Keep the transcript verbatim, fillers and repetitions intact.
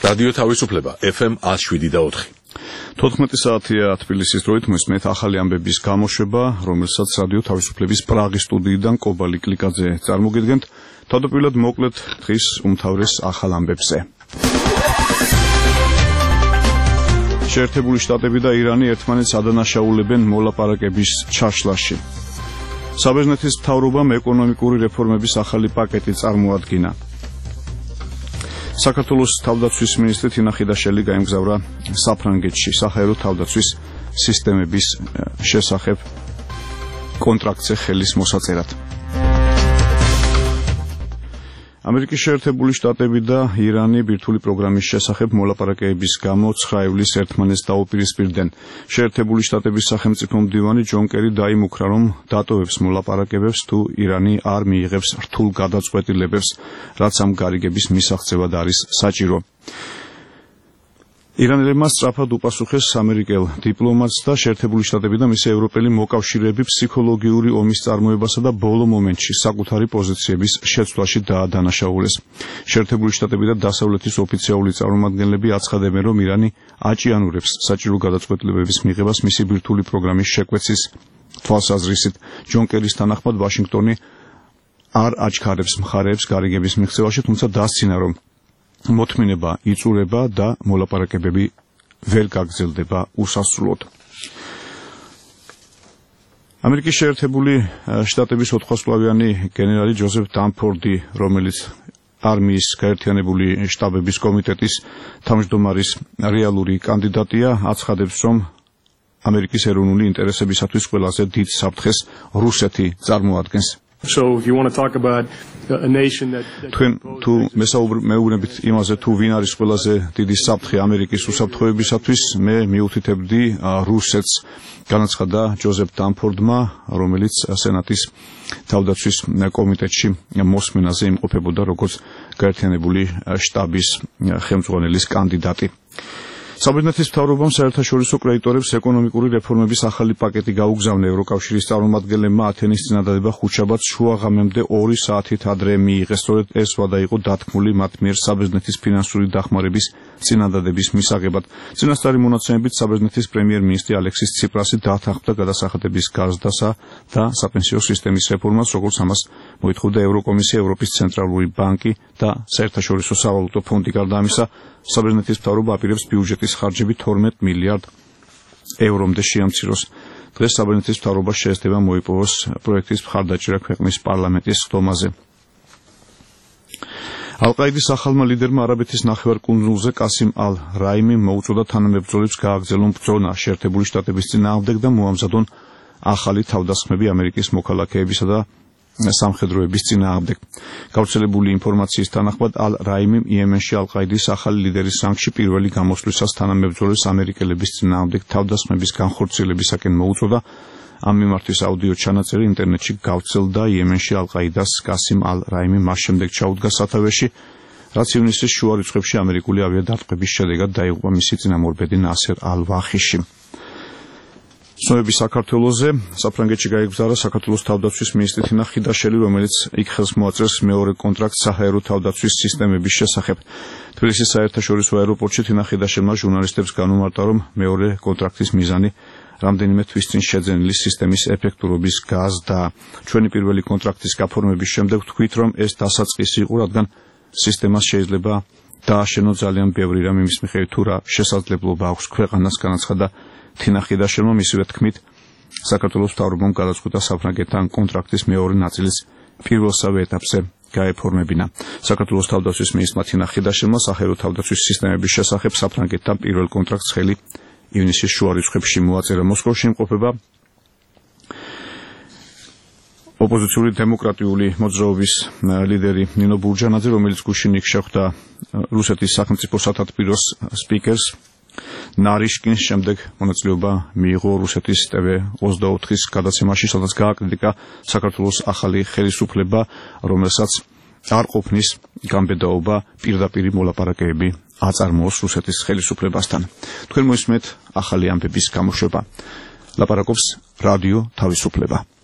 რადიო თავისუფლება ეფ ემ one oh seven და four. თოთხმეტი საათია თბილისის დროით მოსმენთ ახალი ამბების გამოშვება, რომელსაც რადიო თავისუფლების პრაღის სტუდიიდან კობალი კლიკაძე წარმოგიდგენთ. თავდაპირველად მოკლედ დღის უმთავრეს ახალ ამბებზე. შეერთებული შტატები და ირანი ერთმანეთს ადანაშაულებენ მოლაპარაკების ჩაშლაში. საბერძნეთის მთავრობამ ეკონომიკური რეფორმების ახალი პაკეტი წარმოადგინა. საქართველოს თავდაცვის მინისტრი თინა ხიდაშელი გაემგზავრა საფრანგეთში საჰაერო თავდაცვის სისტემების შესახებ კონტრაქტზე ხელის მოსაწერად. ამერიკის შეერთებული შტატები და ირანი ბირთვული პროგრამის შესახებ მოლაპარაკებების გამო ცხრა ივლისს ერთმანეთს დაუპირისპირდნენ. შეერთებული შტატების სახელმწიფო მდივანი ჯონ კერი დაიმუქრა, რომ დატოვებს მოლაპარაკებებს თუ ირანი არ მიიღებს რთულ გადაწყვეტილებებს, რაც ამ გარიგების მისაღწევად არის საჭირო. ირანელებმა სწრაფად უპასუხეს ამერიკელ დიპლომატს და შეერთებული შტატები და მისი ევროპელი მოკავშირეები ფსიქოლოგიური ომის წარმოებასა და ბოლო მომენტში საკუთარი პოზიციების შეცვლაში დაადანაშაულეს. შეერთებული შტატები და დასავლეთის ოფიციალური წარმომადგენლები აცხადებენ, რომ ირანი აჭიანურებს საჭირო გადაწყვეტილებების მიღებას მისი ბირთვული პროგრამის შეკვეცის თვალსაზრისით. ჯონ კერის თანახმად ვაშინგტონი არ აჩქარებს მხარეებს გარიგების მიღწევაში, თუმცა დასცინა, რომ მოთმინება იწურება და მოლაპარაკებები ვერ გაგრძელდება უსასრულოდ. ამერიკის შეერთებული შტატების ოთხვასწლოვიანი გენერალი ჯოზეფ დანფორდი, რომელიც არმიის გაერთიანებული შტაბების კომიტეტის თავმჯდომარის რეალური კანდიდატია, აცხადებს, რომ ამერიკის ეროვნული ინტერესებისათვის ყველაზე დიდ საფრთხეს რუსეთი წარმოადგენს. So if you want to talk about a nation that თქვენ თუ მეუბნებით იმაზე, თუ ვინ არის ყველაზე დიდი საფრთხე ამერიკის უსაფრთხოებისათვის, მე მიუთითებდი რუსეთს, განაცხადა ჯოზეფ დანფორდმა, რომელიც სენატის თავდაცვის კომიტეტში მოსმენაზე იმყოფებოდა როგორც გაერთიანებული შტაბის ხელმძღვანელის კანდიდატი. საბერძნეთის მთავრობამ საერთაშორისო კრედიტორებს ეკონომიკური რეფორმების ახალი პაკეტი გაუგზავნა. ევროკავშირის წარმომადგენლებმა ათენის წინადადება ხუთშაბათს შუაღამემდე ორი საათით ადრე მიიღეს. სწორედ ეს ვადა იყო დათქმული მათ მიერ საბერძნეთის ფინანსური დახმარების წინადადების მისაღებად. წინასწარი მონაცემებით საბერძნეთის პრემიერ-მინისტრი ალექსის ციპრასი დათანხმდა გადასახადების გაზრდასა და საპენსიო სისტემის რეფორმას, როგორც ამას მოითხოვდა ევროკომისია, ევროპის ცენტრალური ბანკი და საერთაშორისო სავალუტო ფონდი. გარდა ამისა, საბერძნეთის მთავრობა აპირებს ბიუჯეტის ხარჯები თორმეტ მილიარდ ევრომდე შეამციროს. დღეს საბერძნეთის მთავრობა შეესწება მოიპოვოს პროექტის მხარდაჭერა ქვეყნის პარლამენტის ხდომაზე. ალ-ყაიდის ახალმა ლიდერმა არაბეთის ნახევარკუნძულზე კასიმ ალ-რაიმიმ მოუწოდა თანამებრძოლებს გააგრძელონ ბრძოლა შეერთებული შტატების წინააღმდეგ და მოამზადონ ახალი თავდასხმები ამერიკის მოქალაქეებისა და სამხედროების წინააღმდეგ. გავრცელებული ინფორმაციის თანახმად ალ-რაიმიმ იემენში ალ-ყაიდის ახალი ლიდერის რანგში პირველი გამოსვლისას თანამებრძოლებს ამერიკელების წინააღმდეგ თავდასხმების განხორციელებისაკენ მოუწოდა. ამ მიმართვის აუდიო ჩანაწერი ინტერნეტში გავრცელდა. იემენში ალ-ყაიდას კასიმ ალ-რაიმი მას შემდეგ ჩაუდგა სათავეში, რაც ივნისის შუა რიცხვებში ამერიკული ავიადარტყმების შედეგად დაიღუპა მისი წინამორბედი ნასერ ალ-ვახიში. ცნობები საქართველოზე. საფრანგეთში გაეგზავრა საქართველოს თავდაცვის მინისტრი თინა ხიდაშელი, რომელიც იქ ხელს მოაწერს მეორე კონტრაქტს საჰაერო თავდაცვის სისტემების შესახებ. თბილისის საერთაშორისო აეროპორტში თინა ხიდაშელმა ჟურნალისტებს განუმარტა, რომ მეორე კონტრაქტის მიზანი რამდენიმე თვის წინ შეძენილი სისტემის ეფექტურობის გაზრდაა. ჩვენი პირველი კონტრაქტის გაფორმების შემდეგ ვთქვით, რომ ეს დასაწყისი იყო, რადგან სისტემას შეიძლება დააშენო ძალიან ბევრი რამ, იმის მიხედვით თუ რა შესაძლებლობა აქვს ქვეყანას, განაცხადა თინა ხიდაშელმა. მისივე თქმით, საქართველოს მთავრობამ გადაწყვიტა საფრანგეთთან კონტრაქტის მეორე ნაწილის პირველსავე ეტაპზე გაეფორმებინა. საქართველოს თავდაცვის მინისტრმა თინა ხიდაშელმა საჰაერო თავდაცვის სისტემების შესახებ საფრანგეთთან პირველ კონტრაქტს ხელი ივნისის შუა რიცხვებში მოაწერა. მოსკოვში იმყოფება ოპოზიციური დემოკრატიული მოძრაობის ლიდერი ნინო ბურჯანაძე, რომელიც გუშინ იქ შეხვდა რუსეთის სახელმწიფო სათათბიროს სპიკერს ნარიშკინს. შემდეგ მონაწილეობა მიიღო რუსეთის ტე ვე ოცდაოთხის გადაცემაში, სადაც გააკრიტიკა საქართველოს ახალი ხელისუფლება, რომელსაც არ ყოფნის გამბედაობა პირდაპირი მოლაპარაკებები აწარმოოს რუსეთის ხელისუფლებასთან. თქვენ მოისმენთ ახალი ამბების გამოშვება. ლაპარაკობს რადიო თავისუფლება.